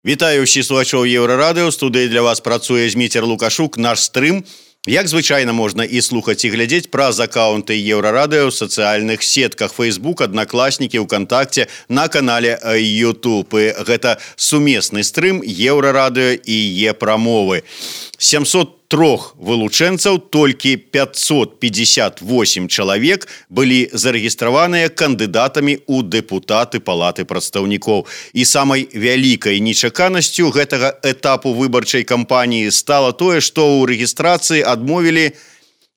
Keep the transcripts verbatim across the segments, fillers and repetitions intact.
Вітаю ўсіх слухачоў Еўрарадыё. У студыі для вас працуе Зміцер Лукашук. Наш стрым, як звычайна, можна і слухаць, і глядзець праз акаунты Еўрарадыё ў сацыяльных сетках Facebook, Аднакласнікі, ВКонтакце, на канале YouTube. І гэта сумесны стрым Еўрарадыё і Е-прамовы. сямьсот трох вылучэнцаў, толькі пятьсот пятьдесят восемь чалавек былі зарэгістраваныя кандыдатамі ў дэпутаты Палаты прадстаўнікоў. І самай вялікай нечаканасцю гэтага этапу выбарчай кампаніі стала тое, што ў рэгістрацыі адмовілі,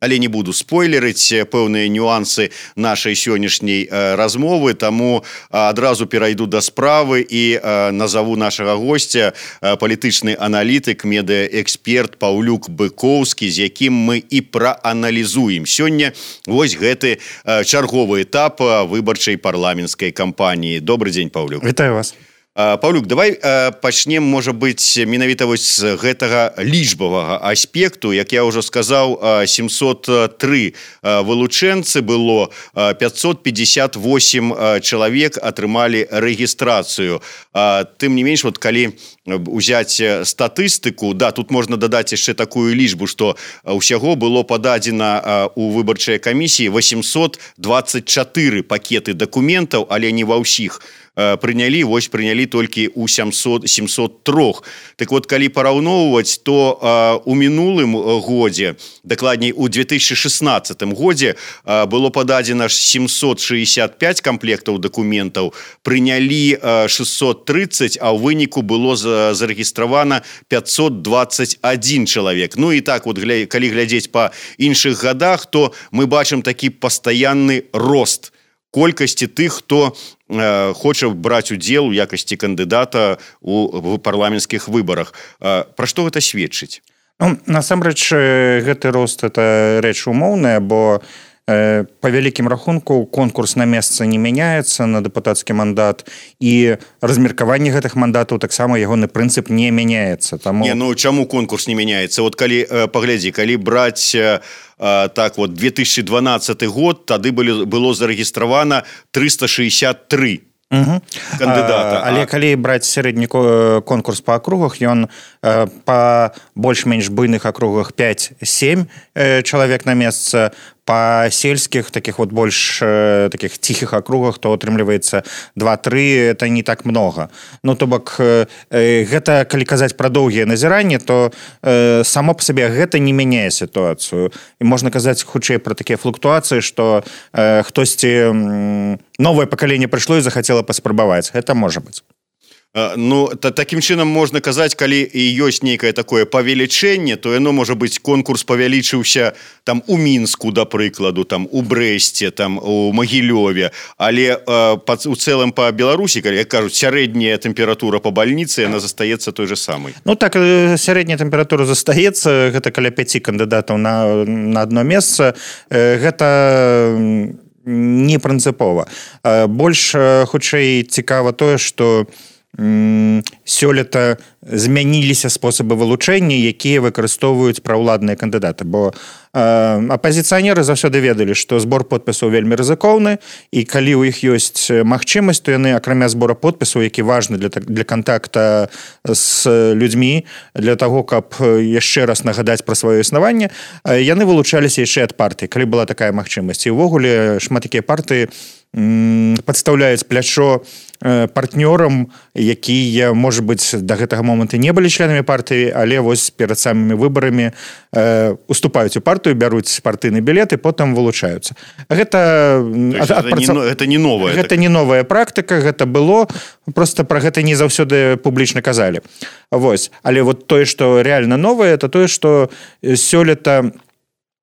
але не буду спойлерыць пэўныя нюансы нашай сённяшняй э, размовы, таму э, адразу перайду да справы і э, назову нашага госця, э, палітычны аналітык, медыаэксперт Паўлюк Быкоўскі, з якім мы і прааналізуем сёння вось гэты э, чарговы этап выбарчай парламенцкай кампаніі. Добры дзень, Паўлюк. Вітаю вас. Паўлюк, давай пачнем, можа быць, менавіта вось з гэтага лічбавага аспекту. Як я ўжо сказаў, сямьсот тры вылучэнцы было, пятьсот пятьдесят восемь чалавек атрымалі рэгістрацыю. Тым не менш, вот калі узяць статыстыку, да, тут можна дадаць яшчэ такую лічбу, што ўсяго было пададзена у выбарчай камісіі восемьсот двадцать четыре пакеты дакументаў, але не ва ўсіх прынялі, вось прынялі толькі ў сямьсот трох. Так вот, калі параўноўваць, то а, у мінулым годзе, дакладней у две тысячи шестнадцатым годзе а, было пададзена семьсот шестьдесят пять комплектаў дакументаў, прынялі а, шестьсот тридцать, а ў выніку было за, зарэгістравана пятьсот двадцать один чалавек. Ну і так вот, гля, калі глядзець па іншых гадах, то мы бачым такі пастаянны рост колькасці тых, хто э, хоча браць удзел у якасці кандыдата у, у парламенцкіх выбарах. Э, пра што гэта сведчыць? Ну, насамрэч, гэты рост – это рэч умоўная, бо э, па вялікім рахунку конкурс на месца не мяняецца на дэпутацкі мандат, і размеркаванне гэтых мандатаў таксама ягоны прынцып не мяняецца. Таму... Не, ну чаму конкурс не мяняецца? Вот калі, э, паглядзі, калі браць... Э, так вот, две тысячи двенадцатый год, тады было, было зарэгістравана триста шестьдесят три угу. кандыдата. А, але калі браць сярэдні конкурс па акругах, ён э, па больш-менш буйных акругах пять-семь э, чалавек на месца, па сельскіх, таких вот больш э, таких ціхіх акругах, то атрымліваецца два-тры, это не так много. Ну, то бок, э, гэта, калі казаць пра доўгія назіранні, то э, само па сабе гэта не мяняе сітуацыю. І можна казаць хутчэй пра такія флуктуацыі, што э, хтосьці э, новае пакаленне прыйшло і захацела паспрабаваць. Гэта можа быць. Ну, та, таким чынам можна казаць, калі і ёсць нейкае такое павелічэнне, то яно, можа быць, конкурс павялічыўся там у Мінску, да прыкладу, там у Брэсце, там у Магілёве, але э, па, у цэлым па Беларусі, калі, як кажуць, сярэдняя тэмпература па бальніцы, яна застаецца той же самай. Ну так, сярэдняя тэмпература застаецца, гэта каля пяці кандыдатаў на, на адно месца, гэта не прынцыпова. Больш, хутчэй, цікава тое, што сёлета змяніліся спосабы вылучэння, якія выкарыстоўваюць праўладныя кандыдаты, бо э, апазіцыянеры заўсёды ведалі, што збор подпісаў вельмі рызыкоўны, і калі ў іх ёсць магчымасць, то яны, акрамя збора подпісаў, які важны для, для кантакта з людзьмі, для таго, каб яшчэ раз нагадаць пра сваё існаванне, яны вылучаліся яшчэ ад партыі, калі была такая магчымасць. І ўвогуле шмат якія партыі падстаўляюць плячо партнёрам, якія, можа быць, да гэтага моманту не былі членамі партыі, але вось перад самымі выбарамі э, уступаюць у партыю, бяруць партыйны білет і потым вылучаюцца. Гэта, ад, ад, гэта, не, гэта не новая. Гэта так. не новая практыка, гэта было, просто пра гэта не заўсёды публічна казалі. Вось. Але вот тое, што рэальна новае, это тое, што сёлета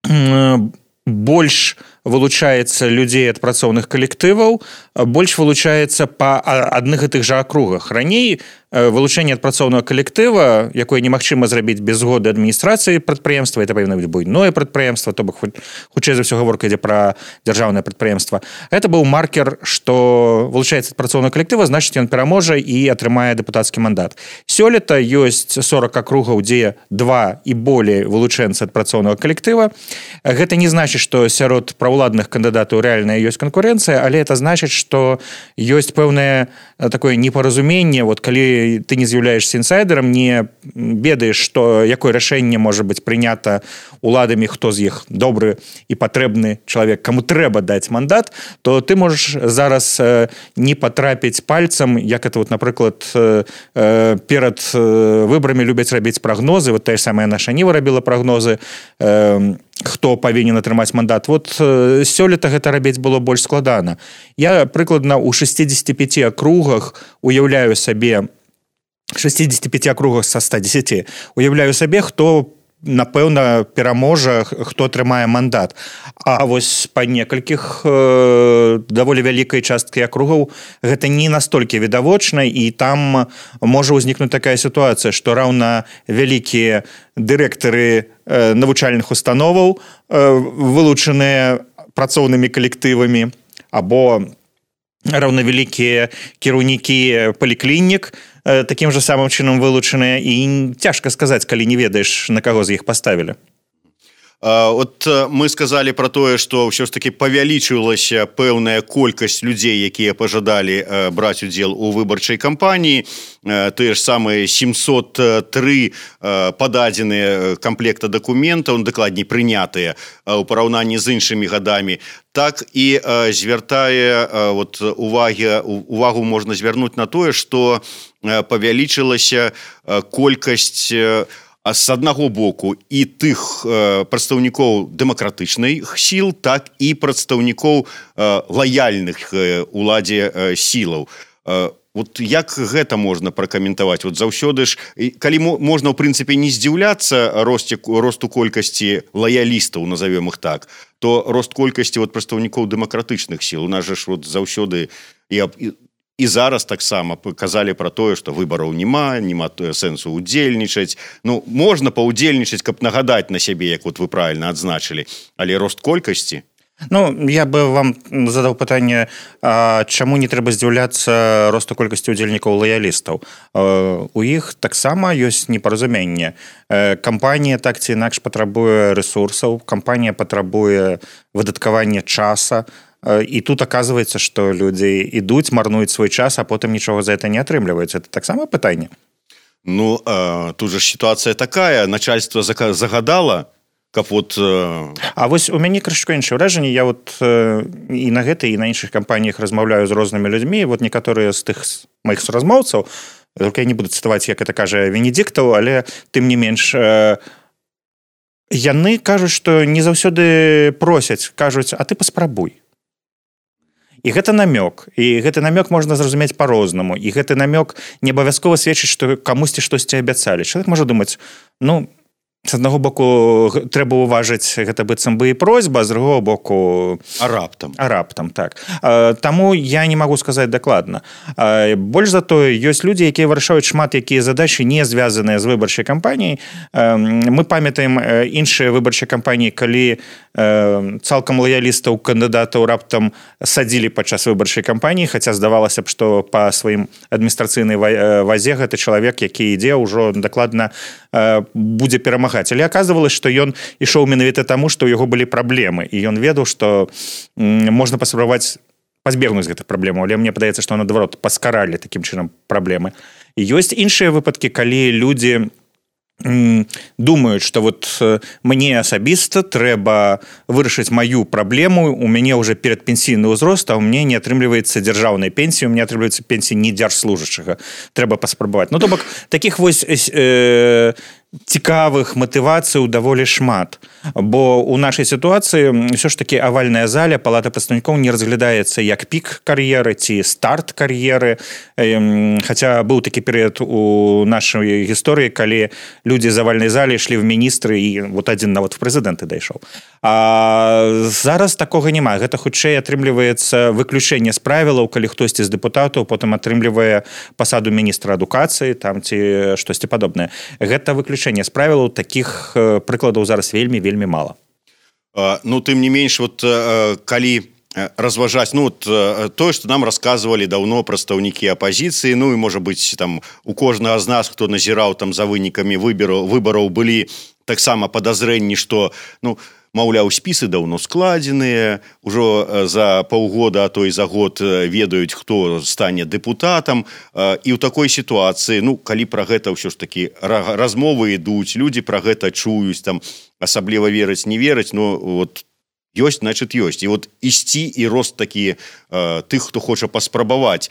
э, больш вылучаецца людзей ад працоўных калектываў, больш вылучаецца па адных і тых жа акругах. Раней вылучэнне ад працоўнага калектыва, якое немагчыма зрабіць без згоды адміністрацыі прадпрыемства, это павінна быць буйное прадпрыемства, то бок хутчэй за ўсё гаворка ідзе пра дзяржаўнае прадпрыемства. Гэта быў маркер, што вылучаецца ад працоўнага калектыва, значыць, ён пераможа і атрымае дэпутацкі мандат. Сёлета ёсць сорок акругаў, дзе два і болей вылучэнцы ад працоўнага калектыва. Гэта не значыць, што сярод праўладных кандыдатаў рэальная ёсць канкурэнцыя, але это значыць, што ёсць пэўнае такое непаразуменне, вот калі ты не з'яўляешься інсайдерам, не ведаеш, што якое рашэнне можа быць прынята уладамі, хто з іх добры і патрэбны чалавек, каму трэба даць мандат, то ты можаш зараз не патрапіць пальцам, як это вот, напрыклад, перад выбарамі любяць рабіць прагнозы, вот тая ж самая наша Ніва рабіла прагнозы, хто павінен атрымаць мандат. Вот сёлета гэта рабіць было больш складана. Я прыкладна ў шестидесяти пяти акругах уяўляю сабе шестидесяти пяти акругах са ста дзесяці уяўляю сабе, хто напэўна пераможа, хто атрымае мандат. А вось па некалькіх э, даволі вялікай часткі акругаў гэта не настолькі відавочна, і там можа ўзнікнуць такая сітуацыя, што раўна вялікія дырэктары э, навучальных установаў э, вылучаныя працоўнымі калектывамі, або раўнавялікія кіраўнікі паліклінік таким же самым чынам вылучаныя, і цяжка сказаць, калі не ведаеш, на каго з іх паставілі. Вот мы сказали про тое, што ўсё ж таки павялічылася пэўная колькасць людзей, якія пажадалі браць удзел у выбарчай кампаніі. Тыя ж самыя семьсот три пададзеныя камплекта дакументаў, дакладней прынятыя ў параўнанні з іншымі гадамі. Так і звяртае вот увагі, увагу можна звярнуць на тое, што павялічылася колькасць а з аднаго боку і тых э, прадстаўнікоў дэмакратычных сіл, так і прадстаўнікоў э, лаяльных э, уладзе э, сілаў. Э, вот як гэта можна пракаментаваць? Вот заўсёды ж, калі можна, ў прынцыпе, не здзіўляцца росце, росту колькасці лаялістаў, назовем іх так, то рост колькасці вот, прадстаўнікоў дэмакратычных сіл. У нас же ж вот заўсёды і, і І зараз таксама казалі пра тое, што выбараў няма, няма сэнсу ўдзельнічаць. Ну, можна паўдзельнічаць, каб нагадаць на сябе, як вот вы правильно адзначылі, але рост колькасці? Ну, я бы вам задаў пытанне, а чаму не трэба здзіўляцца росту колькасці ўдзельнікаў лаялістаў? У іх таксама ёсць непаразуменне. Кампанія так ці інакш патрабуе рэсурсаў, кампанія патрабуе выдаткавання часа, і тут оказывается, што людзі ідуць, марнуюць свой час, а потым нічога за это не атрымліваецца. Это таксама пытанне? Ну, а, тут же сітуацыя такая, начальство загадала, каб вот... А, а вось у мяне крышку іншае ўражанне. Я вот і на гэтай, і на іншых кампаніях размаўляю з рознымі людзьмі. Вот некаторыя з тых маіх суразмоўцаў, только я не буду цытаваць, як это кажа Венедиктаў, але тым не менш... Яны кажуць, што не заўсёды просяць, кажуць, а ты паспрабуй. І гэта намёк, і гэты намёк можна зразумець па-рознаму, і гэты намёк не абавязкова сведчыць, што камусьці штосьці абяцалі. Чалавек можа думаць, ну, з аднаго боку трэба ўважыць, гэта быццам бы і просьба, з другого боку... А раптам. А раптам, так. Таму я не магу сказаць дакладна. Больш за тое, ёсць людзі, якія вырашаюць шмат якія задачы не звязаныя з выбарчай кампаніяй. Мы памятаем іншыя выбарчыя кампаніі, калі цалкам лаялістаў кандыдатаў раптам садзілі падчас выбарчай кампаніі, хаця здавалася б, што па сваім адміністрацыйнай вазе гэты чалавек, які ідзе, ўжо дакладна будзе перамагаць. Але аказвалася, што ён ішоў менавіта таму, што ў яго былі праблемы, і ён ведаў, што можна паспрабаваць пазбегнуць гэтых праблемаў, але мне падаецца, што наадварот паскаралі такім чынам праблемы. І ёсць іншыя выпадкі, калі людзі думаюць, што вот мне асабіста трэба вырашыць маю праблему, у мяне ўжо перадпенсійны ўзрост, а ў мне не атрымліваецца дзяржаўная пенсія, у мяне атрымліваецца пенсія не дзяржслужачага. Трэба паспрабаваць. Ну, то бок, такіх вось э, цікавых матывацыяў даволі шмат, бо ў нашай сітуацыі ўсё ж такі авальная заля палата прадстаўнікоў не разглядаецца як пік кар'еры ці старт кар'еры, хаця быў такі перыяд у нашай гісторыі, калі людзі з авальнай залі ішлі в міністры, і вот адзін нават в прэзідэнты дайшоў. А зараз такога няма. Гэта хутчэй атрымліваецца выключэнне з правілаў, калі хтосьці з дэпутатаў потым атрымлівае пасаду міністра адукацыі там ці штосьці падобнае. Гэта выключэнне з правілаў, такіх прыкладаў зараз вельмі вельмі мала. А, ну тым не менш, вот калі разважаць, ну вот тое, што нам расказвалі даўно прадстаўнікі апазіцыі, ну і можа быць там у кожнага з нас, хто назіраў там за вынікамі выбараў, выбараў былі таксама падазрэнні, што ну маўляў, спісы даўно складзеныя, ужо за паўгода, а то і за год ведаюць, хто стане дэпутатам. І ў такой сітуацыі, ну, калі пра гэта ўсё ж такі размовы ідуць, людзі пра гэта чуюць, там асабліва верыць, не верыць, ну, вот ёсць, значит, ёсць. І вот ісці і рост такі тых, хто хоча паспрабаваць,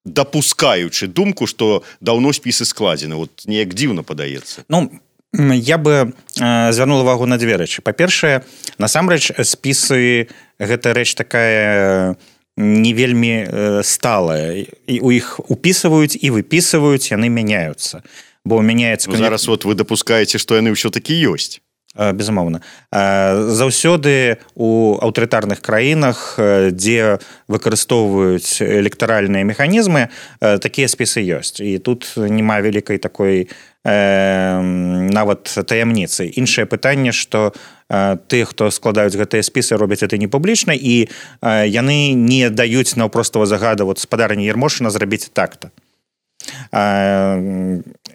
дапускаючы думку, што даўно спісы складзены. Вот неяк дзіўна падаецца. Ну, я бы э, звярнул увагу на дзве рэчы. Па-першае, насамрэч, спісы гэта рэч такая не вельмі э, сталая. І у іх упісваюць і выпісваюць, яны мяняюцца. Бо мяняецца... Ну, зараз вот вы дапускаеце, што яны ўсё-такі ёсць. Безумоўна. Заўсёды у аўтарытарных краінах, дзе выкарыстоўваюць электаральныя механізмы, такія спісы ёсць. І тут няма вялікай такой э, нават таямніцы. Іншае пытанне, што тыя, хто складаюць гэтыя спісы, робяць гэта не публічна, і яны не даюць наўпростага загада, вот спадарня Ярмошына зрабіць так-то.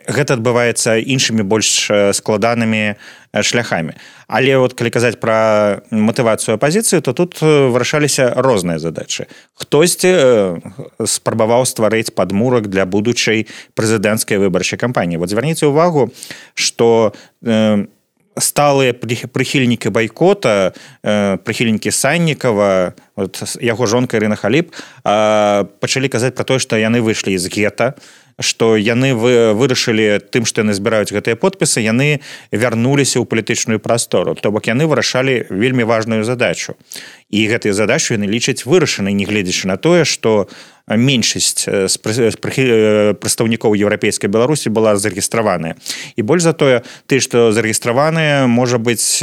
Гэта адбываецца іншымі больш складанымі шляхамі. Але вот калі казаць пра матывацыю апазіцыі, то тут вырашаліся розныя задачы. Хтосьці спрабаваў стварыць падмурак для будучай прэзідэнцкай выбарчай кампаніі. Вот звярніце ўвагу, што сталыя прыхільнікі байкота, прыхільнікі Саннікава, вот яго жонка Ірына Халіп, пачалі казаць пра тое, што яны выйшлі з гета, што яны вырашылі тым, што яны збіраюць гэтыя подпісы, яны вярнуліся ў палітычную прастору. То бок яны вырашалі вельмі важную задачу. І гэтую задачу яны лічаць вырашанай, не гледзячы на тое, што меншасць з прадстаўнікоў еўрапейскай Беларусі была зарэгістраваная. І больш за тое, ты, што зарэгістраваныя, можа быць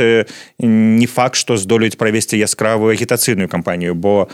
не факт, што здолеюць правесці яскравую агітацыйную кампанію, бо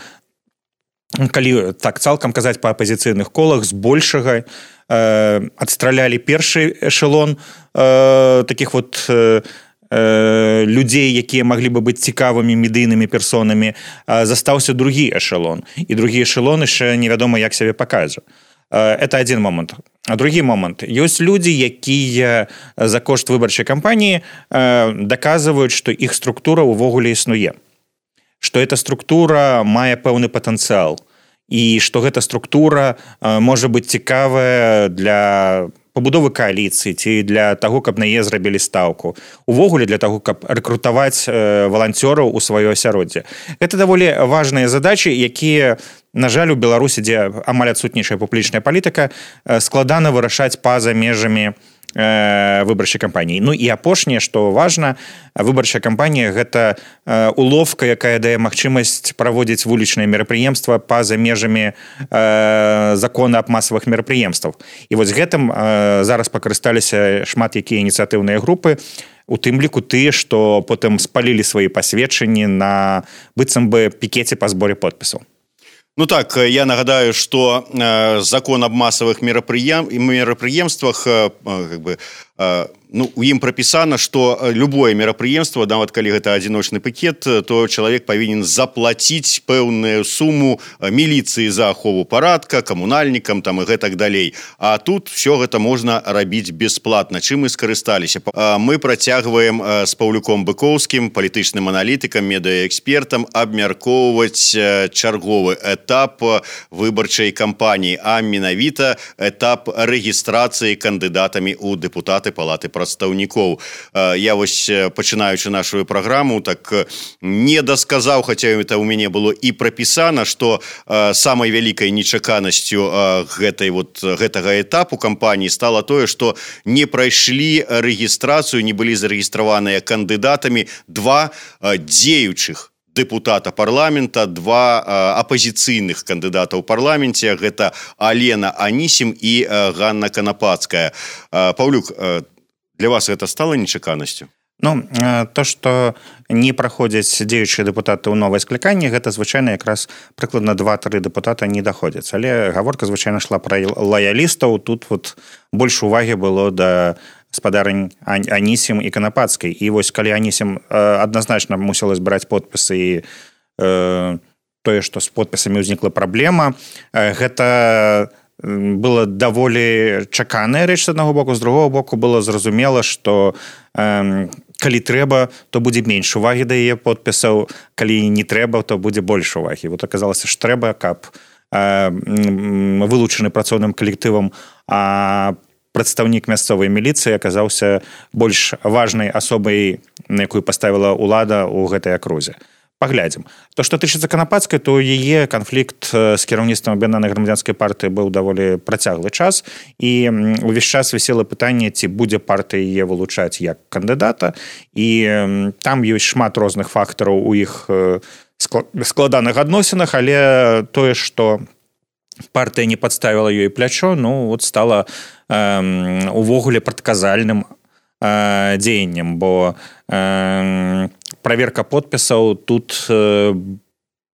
калі так цалкам казаць па апазіцыйных колах, збольшага э, адстралялі першы эшелон э, такіх вот э, э, людзей, якія маглі бы быць цікавымі медыйнымі персонамі, э, застаўся другі эшелон. І другі эшелон яшчэ невядома, як сябе пакажа. Э, это адзін момант. А другі момант. Ёсць людзі, якія за кошт выбарчай кампаніі э, даказваюць, што іх структура ўвогуле існуе. Што эта структура мае пэўны патэнцыял і што гэта структура э, можа быць цікавая для пабудовы кааліцыі ці для таго, каб на яе зрабілі стаўку. Увогуле для таго, каб рэкрутаваць э, валанцёраў у сваё асяроддзе. Гэта даволі важныя задачы, якія, на жаль, у Беларусі, дзе амаль адсутнейшая публічная палітыка, э, складана вырашаць па-за межамі выбарчай кампаніі. Ну і апошняе, што важна, выбарчая кампанія гэта уловка, якая дае магчымасць праводзіць вулічныя мерапрыемствы па-за межамі закона аб масавых мерапрыемствах. І вось гэтым зараз пакарысталіся шмат якія ініцыятыўныя групы, у тым ліку тыя, што потым спалілі свае пасведчанні на быццам бы пікеце па зборе подпісаў. Ну так, я нагадаю, что э, закон об массовых мероприем... мероприемствах, э, как бы, э, ну, у ім прописано, что любое мероприемство, нават калі гэта адзіночны пакет, то чалавек павінен заплатіць пэўную сумму міліцыі за ахову парадка, камунальнікам там і гэтак далей. А тут все гэта можна рабіць бесплатна. Чым мы скарысталіся? Мы працягваем з Паўлюком Быкоўскім, палітычным аналітыкам, медыаэкспертам, абмяркоўваць чарговы этап выбарчай кампаніі, а менавіта этап рэгістрацыі кандыдатамі ў дэпутаты палаты прадстаўнікоў. Я вось, пачынаючы нашу праграму, так не дасказаў, хаця это ў мяне было і прапісана, што самай вялікай нечаканасцю гэтай вот гэтага этапу кампаніі стала тое, што не прайшлі рэгістрацыю, не былі зарэгістраваныя кандыдатамі два дзеючых депутата парламента, два апозіцыйных кандыдата ў парламенце, гэта Алена Анісім і Ганна Канапацкая. Паўлюк, для вас гэта стала нечаканасцю? Ну, то, што не праходзяць дзеючыя дэпутаты ў новае скліканне, гэта звычайна якраз прыкладна два-тры дэпутата не даходзяць. Але гаворка звычайна шла пра лаялістаў. Тут вот больш увагі было да спадарынь Анісім і Канапацкай. І вось калі Анісім адназначна мусіла збіраць подпісы і э, тое, што з подпісамі ўзнікла праблема, гэта было даволі чаканая рэч з аднаго боку, з другого боку было зразумела, што э, калі трэба, то будзе менш увагі да яе подпісаў, калі не трэба, то будзе больш увагі. Вот аказалася ж трэба, каб э, вылучаны працоўным калектывам, а прадстаўнік мясцовай міліцыі аказаўся больш важнай асобай, на якую паставіла ўлада ў гэтай акрузе. Паглядзім. То, што тычыцца Канапацкай, то яе канфлікт з кіраўніцтвам аб'яднанай грамадзянскай партыі быў даволі працяглы час, і ўвесь час вісела пытанне, ці будзе партыя яе вылучаць як кандыдата, і там ёсць шмат розных фактараў у іх складаных адносінах, але тое, што партыя не падставіла ёй плячо, ну, вот стала э, увогуле прадказальным э, дзеяннем, бо э, праверка подпісаў тут, э,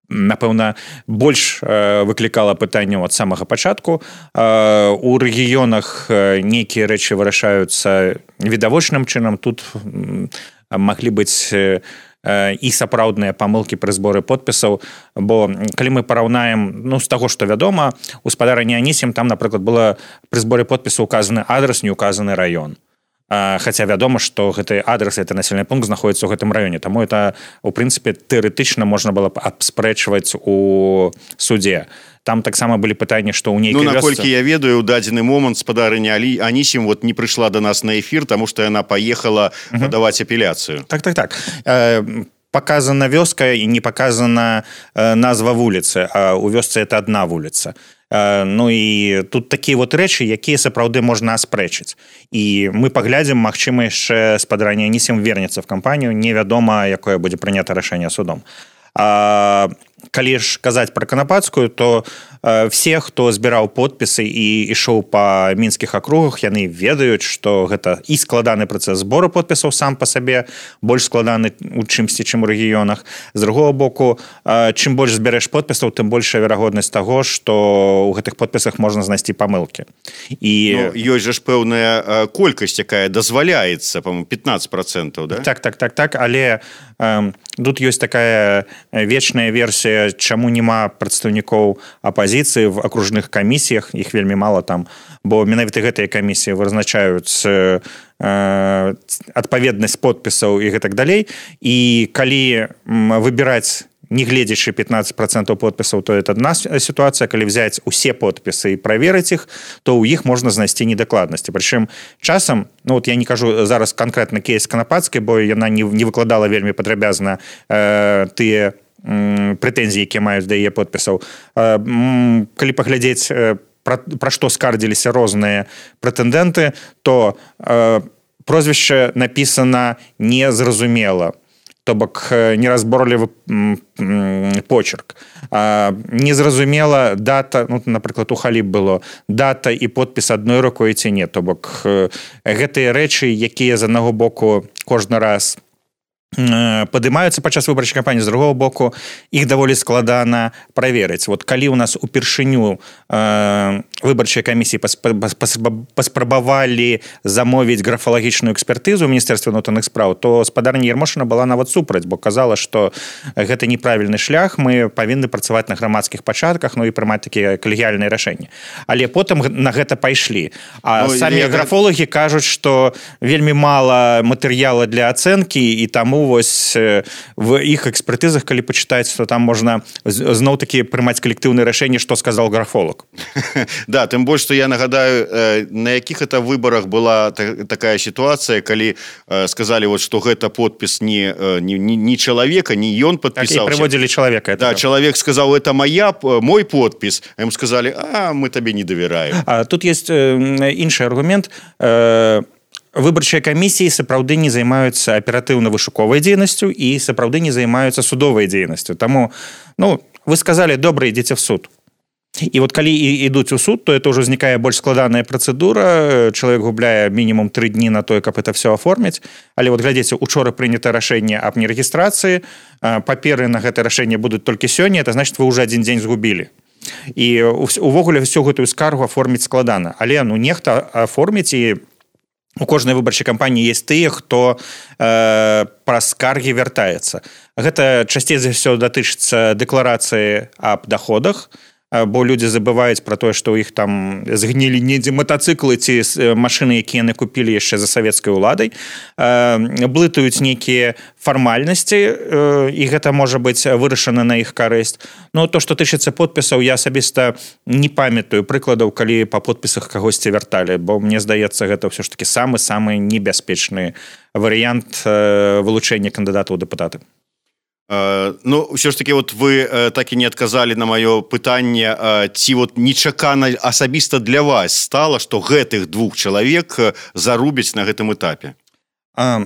напэўна, больш э, выклікала пытанняў ад самага пачатку. Э, у рэгіёнах нейкія рэчы вырашаюцца відавочным чынам. Тут э, маглі быць э, і сапраўдныя памылкі пры зборы подпісаў, бо калі мы параўнаем, ну, з таго, што вядома, у спадарні Анісім там, напрыклад, было пры зборы подпісаў указаны адрас, не указаны раён. Хаця вядома, што гэты адрес, гэты населены пункт знаходіцца ў гэтым раёне. Таму это, у прынцыпе, тэарэтычна можна было б абспрэчваць у судзе. Там таксама былі пытанні, што ў нейкай вёсцы... Ну, наколькі я ведаю, ў дадзены момант спадарыня Анісім вот не прыйшла да нас на эфір, таму што яна паехала uh-huh. падаваць апеляцыю. Так, так, так. Э, показана вёска і не показана э, назва вуліцы, а ў вёсцы это адна вуліца. Ну і тут такія вот рэчы, якія сапраўды можна аспрэчыць. І мы паглядзім, магчыма, яшчэ спадарня Анісім вернецца в кампанію, невядома, якое будзе прынята рашэнне судом. А калі ж казаць пра Канапацкую, то э, все, хто збіраў подпісы і ішоў па мінскіх акругах, яны ведаюць, што гэта і складаны працэс збору подпісаў сам па сабе, больш складаны у чымсьці, чым у рэгіёнах. З другого боку, э, чым больш збярэш подпісаў, тым большая верагоднасць таго, што ў гэтых подпісах можна знайсці памылкі. І... Ну, ёсць жа ж пэўная колькасць, якая дазваляецца, па-моему, пятнадцать процентов, да? Так, так, так, так, але э, тут ёсць такая вечная версія, чаму няма прадстаўнікоў апазіцыі в акружных камісіях, іх вельмі мала там, бо менавіта гэтыя камісіі вызначаюць э, адпаведнасць подпісаў і гэтак далей. І калі выбіраць, не гледзячы пятнадцать процентов подпісаў, то это одна сітуацыя. Калі взяць усе подпісы і праверыць іх, то ў іх можна знайсці недакладнасці. Прычым часам, ну вот я не кажу зараз канкрэтна кейс Канапацкай, бо яна не, не выкладала вельмі падрабязна э, тыя прэтэнзіі, якія маюць да яе подпісаў. Калі паглядзець, пра, пра што скардзіліся розныя прэтэндэнты, то э, прозвішча напісана незразумела, то бок неразборлівы почерк. Э, незразумела дата, ну, напрыклад, у Халіб было дата і подпіс адной рукой ці не, то бок э, гэтыя рэчы, якія з аднаго боку кожны раз падымаюцца падчас выбарчай кампаніі, з другого боку іх даволі складана праверыць. Вот калі ў нас упершыню э, выбарчай камісіі паспрабавалі замовіць графалагічную экспертызу ў Міністэрстве ўнутраных спраў, то спадарня Ярмошына была нават супраць, бо казала, што гэта неправільны шлях, мы павінны працаваць на грамадскіх пачатках, ну і прымаць такія калегіяльныя рашэнні. Але потым на гэта пайшлі. А ну, самі я... графолагі кажуць, што вельмі мала матэрыяла для ацэнкі, і таму вось в іх экспертызах, калі пачытаць, то там можна зноў-такі прымаць калектыўнае рашэнне, што сказал графолог. Да, тым больш, што я нагадаю, на якіх это выбарах была такая сітуацыя, калі сказалі, вот, што гэта подпіс не, не, не чалавека, не ён падпісаўся. Так, і прыводзілі чалавека. Да, чалавек сказаў, это моя, мой подпіс. А ім сказалі, а, мы табе не давяраем. А, тут есть іншы аргумент. Выбарчыя камісіі сапраўды не займаюцца аператыўна-вышуковай дзейнасцю і сапраўды не займаюцца судовай дзейнасцю. Таму, ну, вы сказалі, добра, ідзіце в суд. І вот калі ідуць у суд, то это ўжо узнікае больш складаная працэдура, чалавек губляе мінімум тры дні на тое, каб это все аформіць. Але вот глядзіце, учора прынята рашэнне аб нерэгістрацыі, паперы на гэта рашэнне будуць толькі сёння, это значит, вы ўжо адзін дзень згубілі. І увогуле всю гэтую скаргу аформіць складана. Але, ну, нехта аформіць, і у кожнай выбарчай кампаніі есть тыя, хто э, праз скаргі вяртаецца. Гэта часцей за ўсё датычыцца дэкларацыі аб даходах, бо людзі забываюць пра тое, што ў іх там згнілі недзе матацыклы ці машыны, якія яны купілі яшчэ за савецкай уладай, блытаюць нейкія фармальнасці, і гэта можа быць вырашана на іх карысць. Ну, то, што тычыцца подпісаў, я асабіста не памятаю прыкладаў, калі па подпісах кагосьці вярталі, бо мне здаецца, гэта ўсё ж такі самы-самы небяспечны варыянт вылучэння кандыдата ў дэпутаты. Ну, ўсё ж таки, вот вы так і не адказалі на маё пытанне, ці вот нечакана асабіста для вас стала, што гэтых двух чалавек зарубяць на гэтым этапе? А,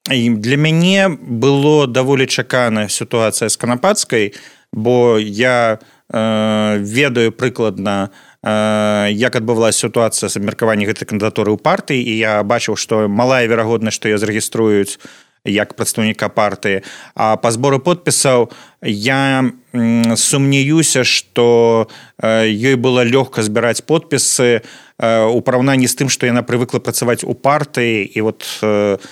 для мяне было даволі чаканая сітуацыя з Канапацкай, бо я э, ведаю прыкладна, э, як адбывалася сітуацыя з абмеркаваннем гэтай кандыдатуры ў партыі, і я бачыў, што малая верагоднасць, што я зарэгіструюць як прадстаўніка партыі. А па збору подпісаў я сумнеюся, што ёй было лёгка збіраць подпісы у параўнанні з тым, што яна прывыкла працаваць у партыі, і вот э,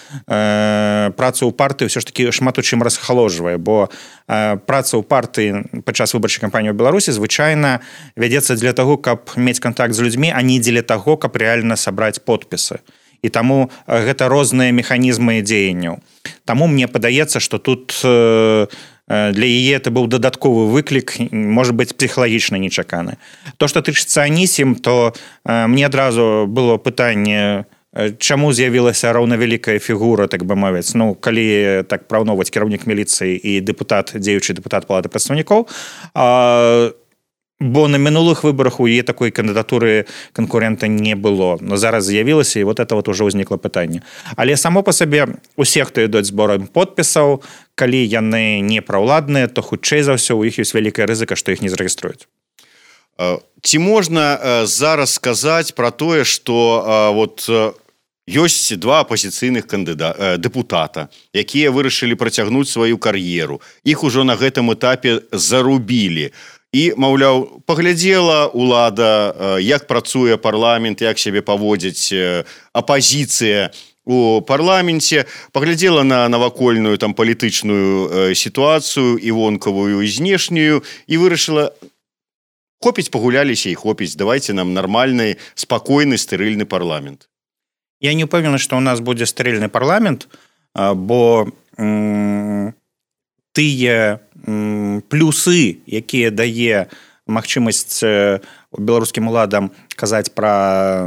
працу ў партыі ўсё ж такі шмат у чым расхаложвае, бо э, праца ў партыі падчас выбарчай кампаніі ў Беларусі звычайна вядзецца для таго, каб мець кантакт з людзьмі, а не дзеля таго, каб рэальна сабраць подпісы. І таму гэта розныя механізмы дзеянняў. Таму мне падаецца, што тут э, для яе это быў дадатковы выклік, можа быць, псіхалагічна нечаканы. То, што тычыцца Анісім, то э, мне адразу было пытанне, чаму з'явілася раўнавялікая фігура, так бы мовіць. Ну, калі так параўноўваць кіраўнік міліцыі і дэпутат, дзеючы дэпутат Палаты прадстаўнікоў, э, бо на мінулых выбарах у яе такой кандыдатуры канкурента не было. Но зараз з'явілася, і вот это вот уже ўзнікла пытанне. Але само па сабе усе, хто ідуць зборам подпісаў, калі яны не праўладныя, то хутчэй за ўсё у іх ёсць вялікая рызыка, што іх не зарэгіструюць. Ці можна зараз сказаць пра тое, што вот ёсць два апазіцыйных кандыдата, дэпутата, якія вырашылі працягнуць сваю кар'еру. Іх ужо на гэтым этапе зарубілі. І, маўляў, паглядзела ўлада, як працуе парламент, як сябе паводзіць апазіцыя у парламенце, паглядзела на навакольную там палітычную сітуацыю і вонкавую, і знешнюю, і вырашыла, хопіць, пагуляліся і хопіць, давайце нам нармальны, спакойны, стэрыльны парламент. Я не ўпэўнены, што ў нас будзе стэрыльны парламент, бо м- тыя плюсы, якія дае магчымасць беларускім уладам казаць пра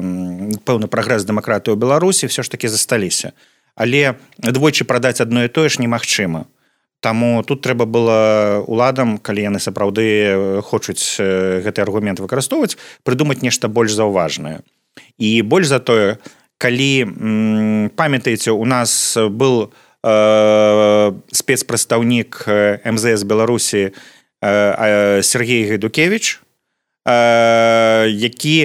пэўны прагрэс дэмакратыі ў Беларусі, все ж такі засталіся. Але двойчы прадаць адно і тое ж немагчыма. Таму тут трэба было уладам, калі яны сапраўды хочуць гэты аргумент выкарыстоўваць, прыдумаць нешта больш заўважнае. І больш за тое, калі, памятаеце, у нас был спецпрадстаўнік эм зэ эс Беларусі Сергей Гайдукевич, які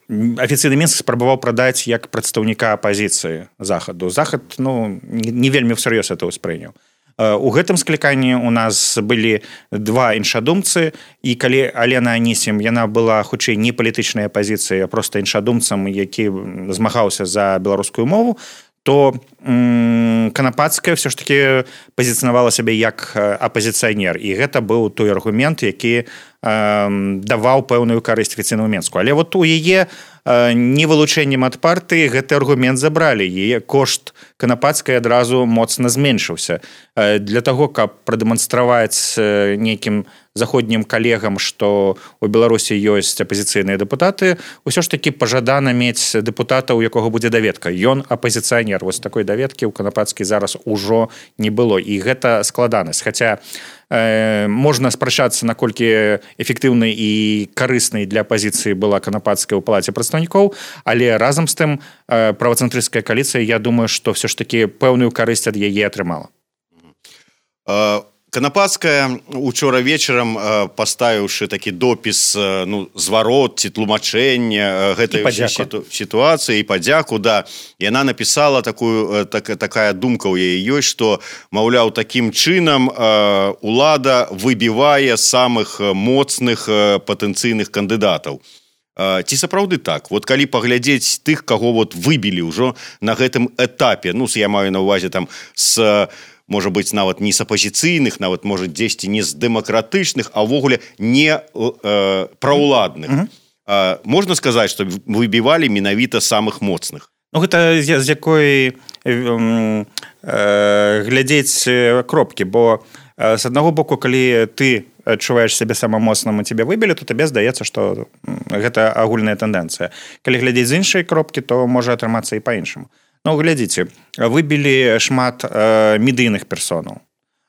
афіцыйны Мінск спрабаваў прадаць як прадстаўніка апазіцыі захаду. Захад, ну, не вельмі всер'ёз это ўспрыняў. У гэтым скліканні у нас былі два іншадумцы, і калі Алена Анісім, яна была хутчэй не палітычнай апазіцыі, а проста іншадумцам, які змагаўся за беларускую мову, то м- Канапацкая все ж таки пазіцыянавала сябе як апазіцыянер, і гэта быў той аргумент, які э, даваў пэўную карысць афіцыйнаму Мінску. Але вот у яе э, невылучэннем ад партыі гэты аргумент забралі, яе кошт Канапацкай адразу моцна зменшыўся. Э, для таго, каб прадэманстраваць э, нейкім заходнім калегам, што у Беларусі ёсць апазіцыйныя дэпутаты, усё ж такі пажадана мець дэпутата, у якога будзе даведка. Ён апазіцыянер. Вось такой даведкі ў Канапацкай зараз ужо не было. І гэта складанасць. Хаця э, можна спрачацца, наколькі эфектыўнай і карыснай для апазіцыі была Канапацкая ў Палаце прадстаўнікоў, але разам з тым э, правацэнтрысцкая кааліцыя, я думаю, што все ж такі пэўную карысць ад яе атрымала. Uh... Канапацкая учора вечарам, паставіўшы такі допіс, ну, зварот ці тлумачэння гэтай сіту, сітуацыі і падзяку, да, яна напісала такую, так, такая думка ў яе ёсць, што, маўляў, такім чынам улада выбівае самых моцных патэнцыйных кандыдатаў. Ці сапраўды так? Вот калі паглядзець тых, каго вот выбілі ўжо на гэтым этапе, ну, я маю на ўвазе там з можа быць нават не з апазіцыйных, нават можа дзесьці не з дэмакратычных, а ўвогуле не э, праўладных. Mm-hmm. э, можна сказаць, што выбівалі менавіта самых моцных? Ну, гэта з, з якой э, э, глядзець кропкі, бо э, з аднаго боку, калі ты адчуваеш сябе самым моцным і тебе выбілі, то табе здаецца, што гэта агульная тэндэнцыя. Калі глядзець з іншай кропкі, то можа атрымацца і па-іншаму. Ну, глядзіце, выбілі шмат э, медыйных персонаў.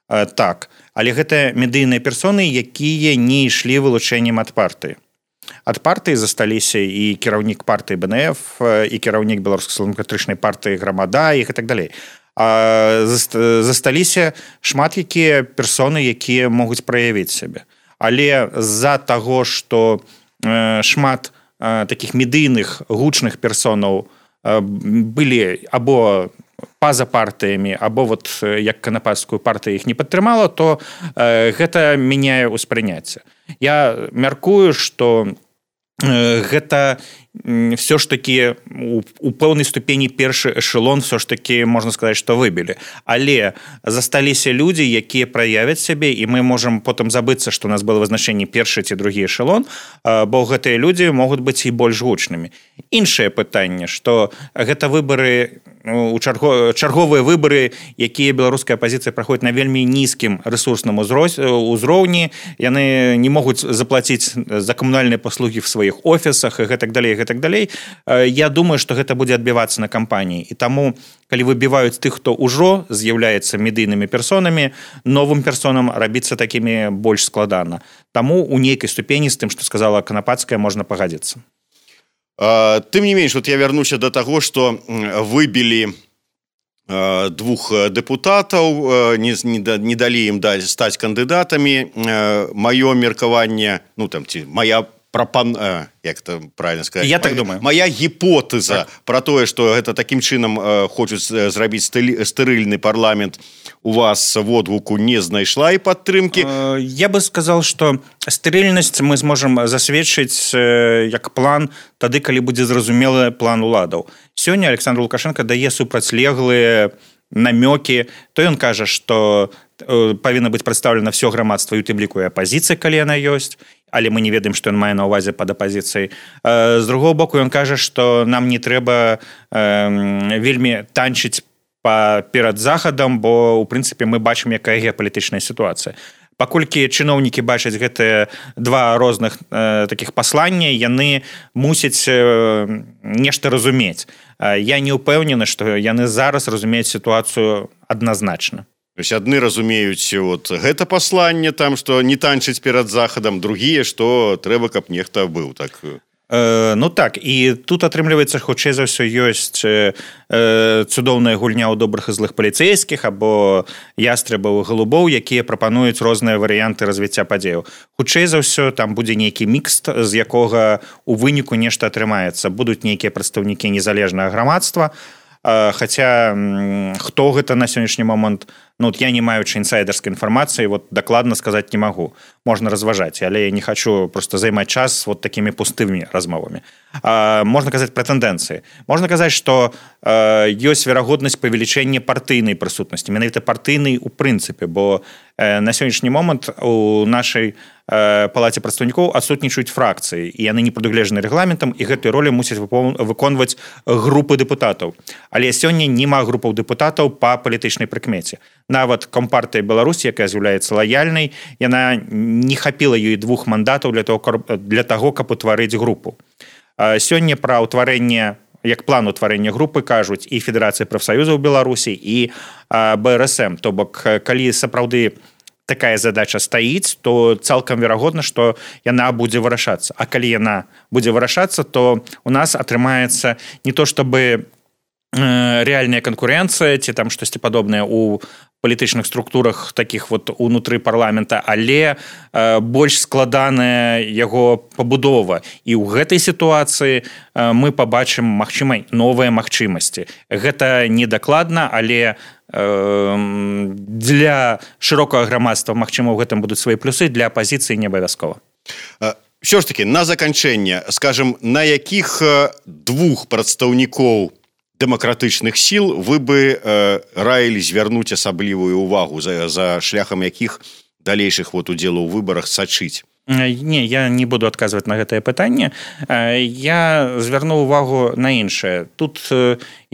Э, так, але гэта медыйныя персоны, якія не ішлі вылучэннем ад партыі. Ад партыі засталіся і кіраўнік партыі бэ эн эф, і кіраўнік беларускай сацыял-дэмакратычнай партыі «Грамада» і так далей. А засталіся шмат якія персоны, якія могуць праявіць сябе. Але з-за таго, што э, шмат э, такіх медыйных гучных персонаў былі або па-за партыямі, або вот як канападскую партыю іх не падтрымала, то э, гэта мяняе ўспрыняцце. Я мяркую, што э, гэта все ж таки у, у пэўнай ступені першы эшелон все ж таки можна сказаць, што выбілі. Але засталіся людзі, якія праявяць сябе, і мы можам потым забыцца, што у нас было вызначэнне першы ці другі эшелон, бо гэтыя людзі могуць быць і больш гучнымі. Іншае пытанне, што гэта выбары у чарго, чарговыя выбары, якія беларуская апазіцыя праходзіць на вельмі нізкім рэсурсным узроўні, яны не могуць заплаціць за камунальныя паслугі в сваіх офісах і гэтак далей, так далей. Я думаю, што гэта будзе адбівацца на кампаніі. І таму, калі выбіваюць тых, хто ўжо з'яўляецца медыйнымі персонамі, новым персонам рабіцца такімі больш складана. Таму у нейкай ступені з тым, што сказала Канападская, можна пагадзіцца. А, тым не менш, вот я вярнуся да таго, што выбілі а, двух дэпутатаў, не, не далі ім стаць кандыдатамі. Маё меркаванне, ну там ці мая пропан... як это правильно сказать? Я так думаю. Моя гіпотэза так. Про тое, што гэта такім чынам хочуць зрабіць стэрыльны парламент, у вас водгуку не знайшла і падтрымкі. Я бы сказал, што стэрыльнасць мы зможам засведчыць як план тады, калі будзе зразумелы план уладаў. Сёння Александр Лукашенко дае супрацьлеглыя намёкі, то ён кажа, што павінна быць прадстаўлена ўсё грамадства, і у тым ліку і апазіцыя, калі яна ёсць, але мы не ведаем, што ён мае на ўвазе пад апазіцыяй. З другого боку, ён кажа, што нам не трэба э, вельмі танчыць перад захадам, бо, у прынцыпе, мы бачым, якая геапалітычная сітуацыя. Паколькі чыноўнікі бачаць гэтыя два розных э, такіх паслання, яны мусяць э, нешта разумець. Я не ўпэўнены, што яны зараз разумеюць сітуацыю адназначна. То есть адны разумеюць вот гэта пасланне там, што не танчыць перад захадам, другія, што трэба, каб нехта быў так. Э, ну так, і тут атрымліваецца, хутчэй за ўсё ёсць э, цудоўная гульня ў добрых і злых паліцэйскіх або ястрабаў і галубоў, якія прапануюць розныя варыянты развіцця падзеяў. Хутчэй за ўсё там будзе нейкі мікс, з якога у выніку нешта атрымаецца. Будуць нейкія прадстаўнікі незалежнага грамадства, э, хаця м, хто гэта на сённяшні момант, ну, вот я не маючы інсайдерскай інфармацыі, вот дакладна сказаць не магу. Можна разважаць, але я не хочу просто займаць час вот такімі пустымі размовамі. А, можна казаць пра тэндэнцыі. Можна казаць, што а, ёсць верагоднасць павелічэння партыйнай прысутнасці, менавіта партыйнай у прынцыпе, бо э, на сённяшні момант у нашай э, палаце прадстаўнікоў адсутнічаюць фракцыі, і яны не прадугледжаны рэгламентам, і гэтую ролю мусяць выконваць групы дэпутатаў. Але сёння няма групаў дэпутатаў па палітычнай прыкмеце. Нават Компартыя Беларусі, якая з'яўляецца лаяльнай, яна не хапіла ёй двух мандатаў для того, для таго, каб утварыць групу. Сёння пра ўтварэнне, як план утварэння групы кажуць і Федэрацыя прафсаюзаў Беларусі, і бэ эр эс эм. То бок, калі сапраўды такая задача стаіць, то цалкам верагодна, што яна будзе вырашацца. А калі яна будзе вырашацца, то у нас атрымаецца не то, чтобы рэальная канкурэнцыя ці там штосьці падобнае у палітычных структурах такіх вот унутры парламента, але э, больш складаная яго пабудова. І ў гэтай сітуацыі э, мы пабачым, магчыма, новыя магчымасці. Гэта недакладна, але э, для шырокага грамадства, магчыма, у гэтым будуць свае плюсы, для апазіцыі не абавязкова. Ўсё ж таки, на заканчэнне, скажем, на якіх двух прадстаўнікоў дэмакратычных сіл вы бы э, раілі звярнуць асаблівую увагу за, за шляхам якіх далейшых вот удзелу ў выбарах сачыць? Не, я не буду адказваць на гэтае пытанне. Я звярну увагу на іншае. Тут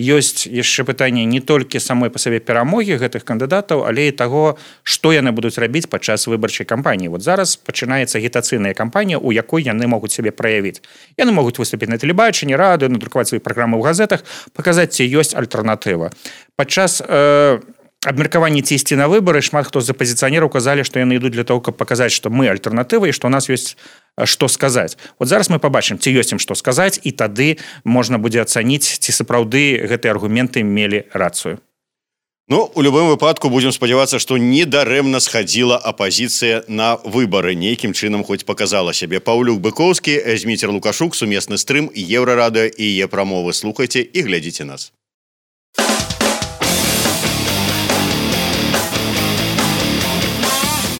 ёсць яшчэ пытанне не толькі самой па сабе перамогі гэтых кандыдатаў, але і таго, што яны будуць рабіць падчас выбарчай кампаніі. Вот зараз пачынаецца агітацыйная кампанія, у якой яны могуць сябе праявіць. Яны могуць выступіць на тэлебачанні, радыё, надрукаваць свае праграмы ў газетах, паказаць, ці ёсць альтэрнатыва. Падчас э, абмеркаванні ці ісці на выбары шмат хто з апазіцыянераў казалі, што яны ідуць для того, каб паказаць, што мы альтэрнатыва і што ў нас ёсць што сказаць. Вот зараз мы пабачым, ці ёсць ім што сказаць, і тады можна будзе ацаніць, ці сапраўды гэтыя аргументы мелі рацыю. Ну, у любым выпадку будзем спадзявацца, што недарэмна схадзіла апазіцыя на выбары. Нейкім чынам хоць паказала сябе. Паўлюк Быкоўскі, Зміцер Лукашук, сумесны стрым, Еўрарадыё і Е-прамовы. Слухайце і глядзіце нас.